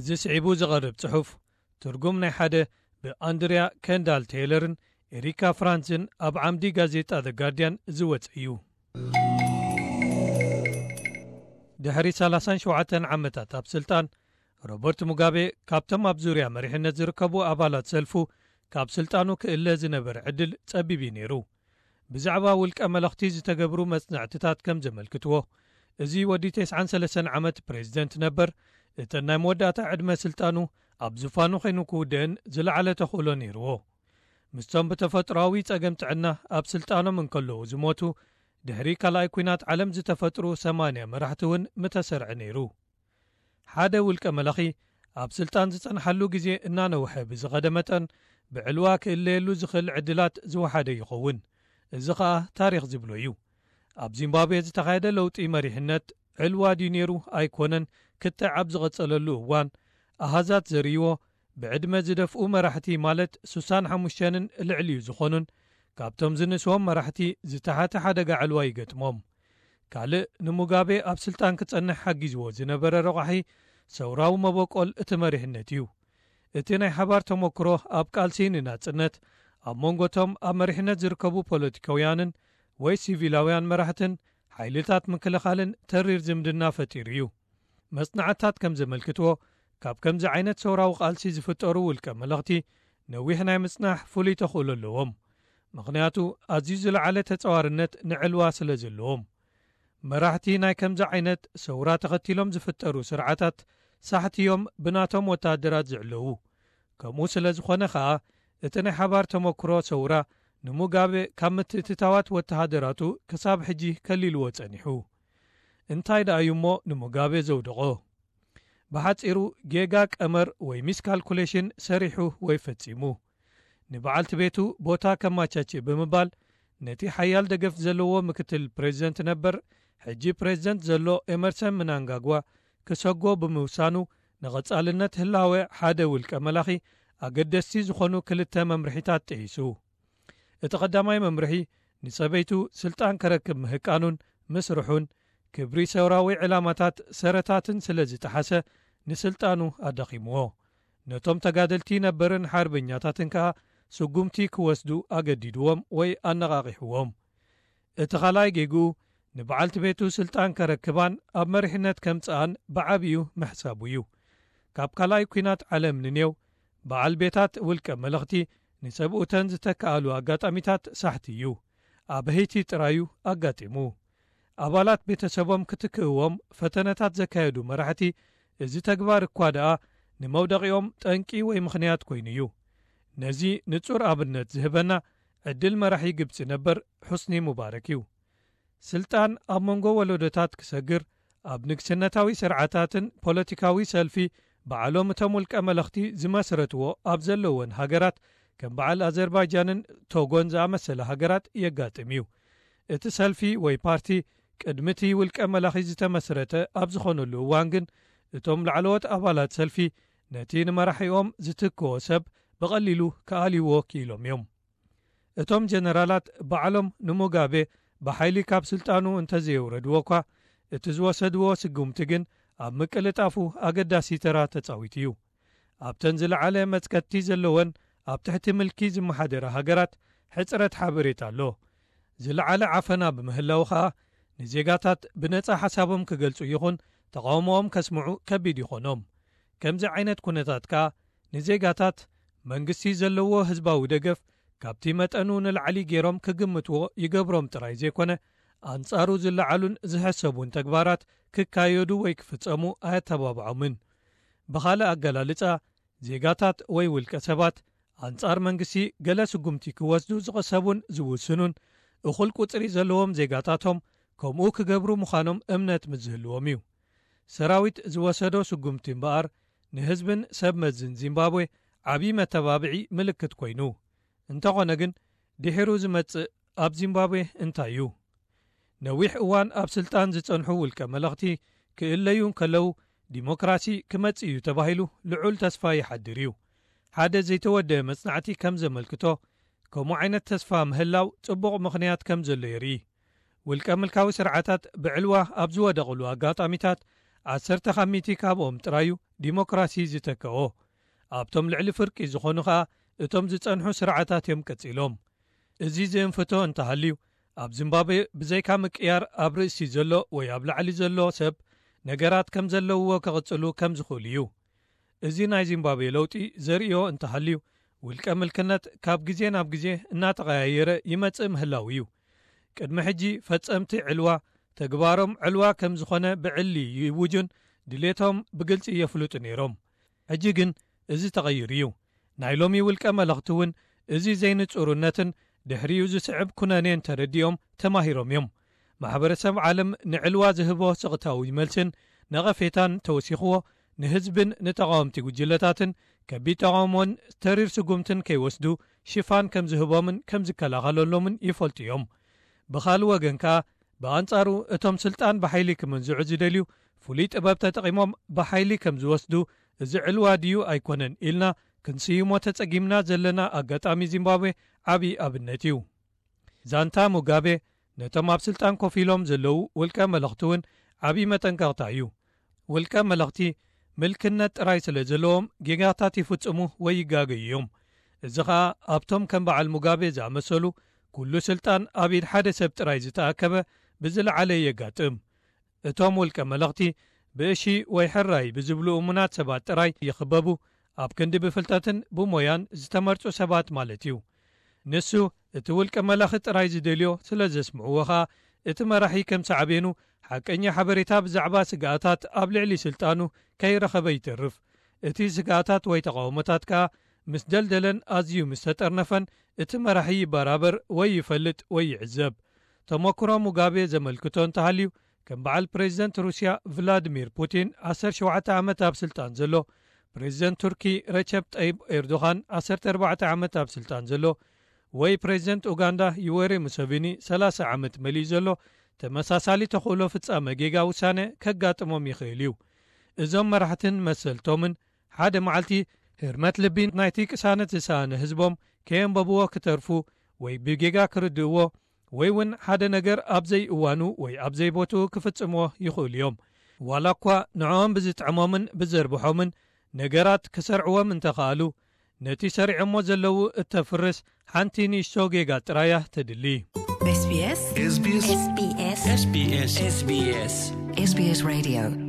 ዝስዒቡ ዝቐርብ ጽሑፍ፣ ትርጉም ናይ ሓደ ብኣንድርያ ከንዳል ቴይለርን ኤሪካ ፍራንዝን ኣብ ዓምዲ ጋዜጣ ዘ ጋርድያን ዝወጸ እዩ። ድሕሪ ሰላሳን ሸውዓተን ዓመታት ኣብ ስልጣን፣ ሮበርት ሙጋቤ ካብቶም ኣብ ዙርያ መሪሕነት ዝርከቡ ኣባላት ሰልፉ ካብ ስልጣኑ ክእለ ዝነበረ ዕድል ጸቢብ እዩ ነይሩ። ብዛዕባ ውልቀ መለኽቲ ዝተገብሩ መጽናዕትታት ከም ዘመልክትዎ፣ እዚ ወዲ ተስዓን ሰለስተን ዓመት ፕሬዚደንት ነበር፣ እተን ናይ መወዳእታ ዕድመ ስልጣኑ ኣብ ዙፋኑ ኮይኑ ክውድእን ዝለዓለ ተኽእሎ ነይርዎ። ምስቶም ብተፈጥሮኣዊ ጸገም ጥዕና ኣብ ስልጣኖም እንከለዉ ዝሞቱ፣ ድሕሪ ካልኣይ ኲናት ዓለም ዝተፈጥሩ ሰማንያ መራሕቲ እውን ምተሰርዐ ነይሩ። ሓደ ውልቀ መለኺ ኣብ ስልጣን ዝጸንሓሉ ግዜ እናነውሐ ብዝኸደ መጠን፣ ብዕልዋ ክእለየሉ ዝኽእል ዕድላት ዝወሓደ ይኸውን። እዚ ኸኣ ታሪኽ ዝብሎ እዩ። ኣብ ዚምባብዌ ዝተኻየደ ለውጢ መሪሕነት ዕልዋ ድዩ ነይሩ ኣይኮነን ክትዕ ኣብ ዝቐጸለሉ እዋን፣ ኣሃዛት ዘርእይዎ፣ ብዕድመ ዝደፍኡ መራሕቲ ማለት ሱሳን ሓሙሽተንን ልዕሊኡ ዝኾኑን፣ ካብቶም ዝንስዎም መራሕቲ ዝተሓተ ሓደጋ ዕልዋ ይገጥሞም። ካልእ ንሙጋቤ ኣብ ስልጣን ክጸንሕ ሓጊዝዎ ዝነበረ ረቋሒ ሰውራዊ መበቆል እቲ መሪሕነት እዩ። እቲ ናይ ሓባር ተመክሮ ኣብ ቃልሲ ንናጽነት ኣብ መንጎቶም ኣብ መሪሕነት ዝርከቡ ፖለቲካውያንን ወይ ሲቪላውያን መራሕትን ሓይልታት ምክልኻልን ተሪር ዝምድና ፈጢሩ እዩ። መጽናዕትታት ከም ዘመልክትዎ፣ ካብ ከምዚ ዓይነት ሰውራዊ ቃልሲ ዝፍጠሩ ውልቀ መለኽቲ ነዊሕ ናይ ምጽናሕ ፍሉይ ተኽእሎ ኣለዎም። ምኽንያቱ፣ ኣዝዩ ዝለዓለ ተጻዋርነት ንዕልዋ ስለ ዘለዎም። መራሕቲ ናይ ከምዚ ዓይነት ሰውራ ተኸቲሎም ዝፍጠሩ ስርዓታት ሳሕቲ እዮም ብናቶም ወተሃደራት ዝዕለዉ። ከምኡ ስለ ዝኾነ ኸኣ፣ እቲ ናይ ሓባር ተመክሮ ሰውራ ንሙጋቤ ካብ ምትእትታዋት ወተሃደራቱ ክሳብ ሕጂ ከሊልዎ ጸኒሑ። እንታይ ደኣ እዩ እሞ ንሙጋቤ ዘውደቖ? ብሓጺሩ፣ ጌጋ ቀመር ወይ ሚስካልኩሌሽን ሰሪሑ ወይ ፈጺሙ። ንበዓልቲ ቤቱ ቦታ ከማቻችእ ብምባል፣ ነቲ ሓያል ደገፍ ዘለዎ ምክትል ፕሬዚደንት ነበር፣ ሕጂ ፕሬዚደንት ዘሎ ኤመርሰን ምናንጋግዋ ክሰጎ ብምውሳኑ፣ ንቐጻልነት ህላወ ሓደ ውልቀ መላኺ ኣገደስቲ ዝኾኑ ክልተ መምርሒታት ጥሒሱ። እቲ ቀዳማይ መምርሒ፣ ንሰበይቱ ስልጣን ከረክብ ምህቃኑን ምስርሑን፣ ክብሪ ሰውራዊ ዕላማታት ሰረታትን ስለ ዝጠሓሰ፣ ንስልጣኑ ኣዳኺምዎ። ነቶም ተጋደልቲ ነበርን ሓርበኛታትን ከኣ ስጉምቲ ክወስዱ ኣገዲድዎም ወይ ኣነቓቒሕዎም። እቲ ኻልኣይ ጌግኡ፣ ንበዓልቲ ቤቱ ስልጣን ከረክባን ኣብ መሪሕነት ከምጽኣን ብዓቢኡ ምሕሳቡ እዩ። ካብ ካልኣይ ኲናት ዓለም ንኔው፣ በዓል ቤታት ውልቀ መለኽቲ ንሰብኡተን ዝተከኣሉ ኣጋጣሚታት ሳሕቲ እዩ። ኣብ ሄይቲ ጥራዩ ኣጋጢሙ። ኣባላት ቤተሰቦም ክትክእዎም ፈተነታት ዘካየዱ መራሕቲ፣ እዚ ተግባር እኳ ደኣ ንመውደቒኦም ጠንቂ ወይ ምኽንያት ኮይኑ እዩ። ነዚ ንጹር ኣብነት ዝህበና ዕድል መራሒ ግብጺ ነበር ሑስኒ ሙባረክ እዩ። ስልጣን ኣብ መንጎ ወለዶታት ክሰግር፣ ኣብ ንግስነታዊ ስርዓታትን ፖለቲካዊ ሰልፊ ባዕሎም እቶም ውልቀ መለኽቲ ዝመስረትዎ ኣብ ዘለወን ሃገራት፣ ከም በዓል ኣዘርባይጃንን ቶጎን ዝኣመሰለ ሃገራት የጋጥም እዩ። እቲ ሰልፊ ወይ ፓርቲ ቅድሚ እቲ ውልቀ መላኺ ዝተመስረተ ኣብ ዝኾነሉ እዋን ግን፣ እቶም ላዕለዎት ኣባላት ሰልፊ ነቲ ንመራሒኦም ዝትክኦ ሰብ ብቐሊሉ ክኣልይዎ ክኢሎም እዮም። እቶም ጀነራላት ባዕሎም ንሙጋቤ ብሓይሊ ካብ ስልጣኑ እንተዘየውረድዎ እኳ፣ እቲ ዝወሰድዎ ስጉምቲ ግን ኣብ ምቅልጣፉ ኣገዳሲ ተራ ተጻዊቱ እዩ። ኣብተን ዝለዓለ መጽከቲ ዘለወን ኣብ ትሕቲ ምልኪ ዝመሓደራ ሃገራት ሕጽረት ሓበሬታ ኣሎ። ዝለዓለ ዓፈና ብምህላዉ ኸኣ፣ ንዜጋታት ብነጻ ሓሳቦም ክገልጹ ይኹን ተቓውሞኦም ከስምዑ ከቢድ ይኾኖም። ከምዚ ዓይነት ኩነታት ከኣ፣ ንዜጋታት መንግስቲ ዘለዎ ህዝባዊ ደገፍ ካብቲ መጠኑ ንላዕሊ ገይሮም ክግምትዎ ይገብሮም ጥራይ ዘይኮነ፣ ኣንጻሩ ዝለዓሉን ዝሕሰቡን ተግባራት ክካየዱ ወይ ክፍጸሙ ኣየተባብዖምን። ብኻልእ ኣገላልጻ፣ ዜጋታት ወይ ውልቀ ሰባት ኣንጻር መንግስቲ ገለ ስጉምቲ ክወስዱ ዝቕሰቡን ዝውስኑን፣ እኹል ቁጽሪ ዘለዎም ዜጋታቶም ከምኡ ክገብሩ ምዃኖም እምነት ምስ ዝህልዎም እዩ። ሰራዊት ዝወሰዶ ስጉምቲ እምበኣር፣ ንህዝብን ሰብ መዝን ዚምባብዌ ዓቢ መተባብዒ ምልክት ኮይኑ። እንተኾነ ግን፣ ድሒሩ ዝመጽእ ኣብ ዚምባብዌ እንታይ እዩ? ነዊሕ እዋን ኣብ ስልጣን ዝጸንሑ ውልቀ መለኽቲ ክእለዩ እንከለዉ፣ ዲሞክራሲ ክመጽእ እዩ ተባሂሉ ልዑል ተስፋ ይሓድር እዩ። ሓደ ዘይተወደአ መጽናዕቲ ከም ዘመልክቶ፣ ከምኡ ዓይነት ተስፋ ምህላው ጽቡቕ ምኽንያት ከም ዘሎ የርኢ። ውልቀ ምልካዊ ስርዓታት ብዕልዋ ኣብ ዝወደቕሉ ኣጋጣሚታት፣ ዓሰርተ ካብ ሚእቲ ካብኦም ጥራዩ ዲሞክራሲ ዝተከኦ። ኣብቶም ልዕሊ ፍርቂ ዝኾኑ ኸኣ እቶም ዝጸንሑ ስርዓታት እዮም ቀጺሎም። እዚ ዝእንፍቶ እንተሃልዩ፣ ኣብ ዚምባብዌ ብዘይካ ምቅያር ኣብ ርእሲ ዘሎ ወይ ኣብ ላዕሊ ዘሎ ሰብ ነገራት ከም ዘለውዎ ክቕጽሉ ከም ዝኽእሉ እዩ። እዚ ናይ ዚምባብዌ ለውጢ ዘርእዮ እንተሃልዩ፣ ውልቀ ምልክነት ካብ ግዜ ናብ ግዜ እናተቐያየረ ይመጽእ ምህላው እዩ። ቅድሚ ሕጂ ፈጸምቲ ዕልዋ ተግባሮም ዕልዋ ከም ዝኾነ ብዕሊ ይውጁን ድሌቶም ብግልጺ የፍልጡ ነይሮም። ሕጂ ግን እዚ ተቐይሩ እዩ። ናይ ሎሚ ውልቀ መለኽቲ እውን እዚ ዘይንጹርነትን ድሕሪኡ ዝስዕብ ኩነኔን ተረዲኦም ተማሂሮም እዮም። ማሕበረሰብ ዓለም ንዕልዋ ዝህቦ ስቕታዊ መልስን ነቐፌታን ተወሲኽዎ፣ ንህዝብን ንተቓወምቲ ጉጅለታትን ከቢድ ተቓውሞን ተሪር ስጉምትን ከይወስዱ ሽፋን ከም ዝህቦምን ከም ዝከላኸለሎምን ይፈልጡ እዮም። ብኻልእ ወገን ከኣ፣ ብኣንጻሩ እቶም ስልጣን ብሓይሊ ክምንዝዑ ዝደልዩ ፍሉይ ጥበብ ተጠቒሞም ብሓይሊ ከም ዝወስዱ፣ እዚ ዕልዋ ድዩ ኣይኮነን ኢልና ክንስይሞ ተጸጊምና ዘለና ኣጋጣሚ ዚምባብዌ ዓቢ ኣብነት እዩ። ዛንታ ሙጋቤ ነቶም ኣብ ስልጣን ኮፍ ኢሎም ዘለዉ ውልቀ መለኽቲ እውን ዓቢ መጠንቀቕታ እዩ። ውልቀ መለኽቲ ምልክነት ጥራይ ስለ ዘለዎም ጌጋታት ይፍጽሙ ወይ ይጋገዩ እዮም። እዚ ኸኣ ኣብቶም ከም በዓል ሙጋቤ ዝኣመሰሉ ኩሉ ስልጣን ኣብ ኢድ ሓደ ሰብ ጥራይ ዝተኣከበ ብዝለዓለ የጋጥም። እቶም ውልቀ መለኽቲ ብእሺ ወይ ሕራይ ብዝብሉ እሙናት ሰባት ጥራይ ይኽበቡ፣ ኣብ ክንዲ ብፍልጠትን ብሞያን ዝተመርጹ ሰባት ማለት እዩ። ንሱ እቲ ውልቀ መላኺ ጥራይ ዝደልዮ ስለ ዘስምዕዎ ኸኣ፣ እቲ መራሒ ከም ሳዕቤኑ ሓቀኛ ሓበሬታ ብዛዕባ ስግኣታት ኣብ ልዕሊ ስልጣኑ ከይረኸበ ይተርፍ። እቲ ስግኣታት ወይ ተቓውሞታት ከኣ ምስ ደልደለን ኣዝዩ ምስ ተጠርነፈን፣ እቲ መራሒ ይበራበር ወይ ይፈልጥ ወይ ይዕዘብ። ተመክሮ ሙጋቤ ዘመልክቶ እንተሃልዩ፣ ከም በዓል ፕሬዚደንት ሩስያ ቭላድሚር ፑቲን ዓሰርተ ሸውዓተ ዓመት ኣብ ስልጣን ዘሎ፣ ፕሬዚደንት ቱርኪ ረቸብ ጠይብ ኤርዶኻን ዓሰርተ ኣርባዕተ ዓመት ኣብ ስልጣን ዘሎ፣ ወይ ፕሬዚደንት ኡጋንዳ ዩወሪ ሙሰቪኒ ሰላሳ ዓመት መሊኡ ዘሎ ተመሳሳሊ ተኽእሎ ፍጻመ ጌጋ ውሳነ ከጋጥሞም ይኽእል እዩ። እዞም መራሕትን መሰልቶምን ሓደ መዓልቲ ህርመት ልቢ ናይቲ ቅሳነት ዝሰኣነ ህዝቦም ከየንበብዎ ክተርፉ ወይ ብጌጋ ክርድእዎ ወይ እውን ሓደ ነገር ኣብ ዘይእዋኑ ወይ ኣብ ዘይቦትኡ ክፍጽምዎ ይኽእሉ እዮም። ዋላ እኳ ንዕኦም ብዝጥዕሞምን ብዘርብሖምን ነገራት ክሰርዕዎም እንተኸኣሉ፣ ነቲ ሰሪዖሞ ዘለዉ እተፍርስ ሓንቲ ንእሽቶ ጌጋ ጥራያ ተድሊ። SBS SBS SBS SBS SBS Radio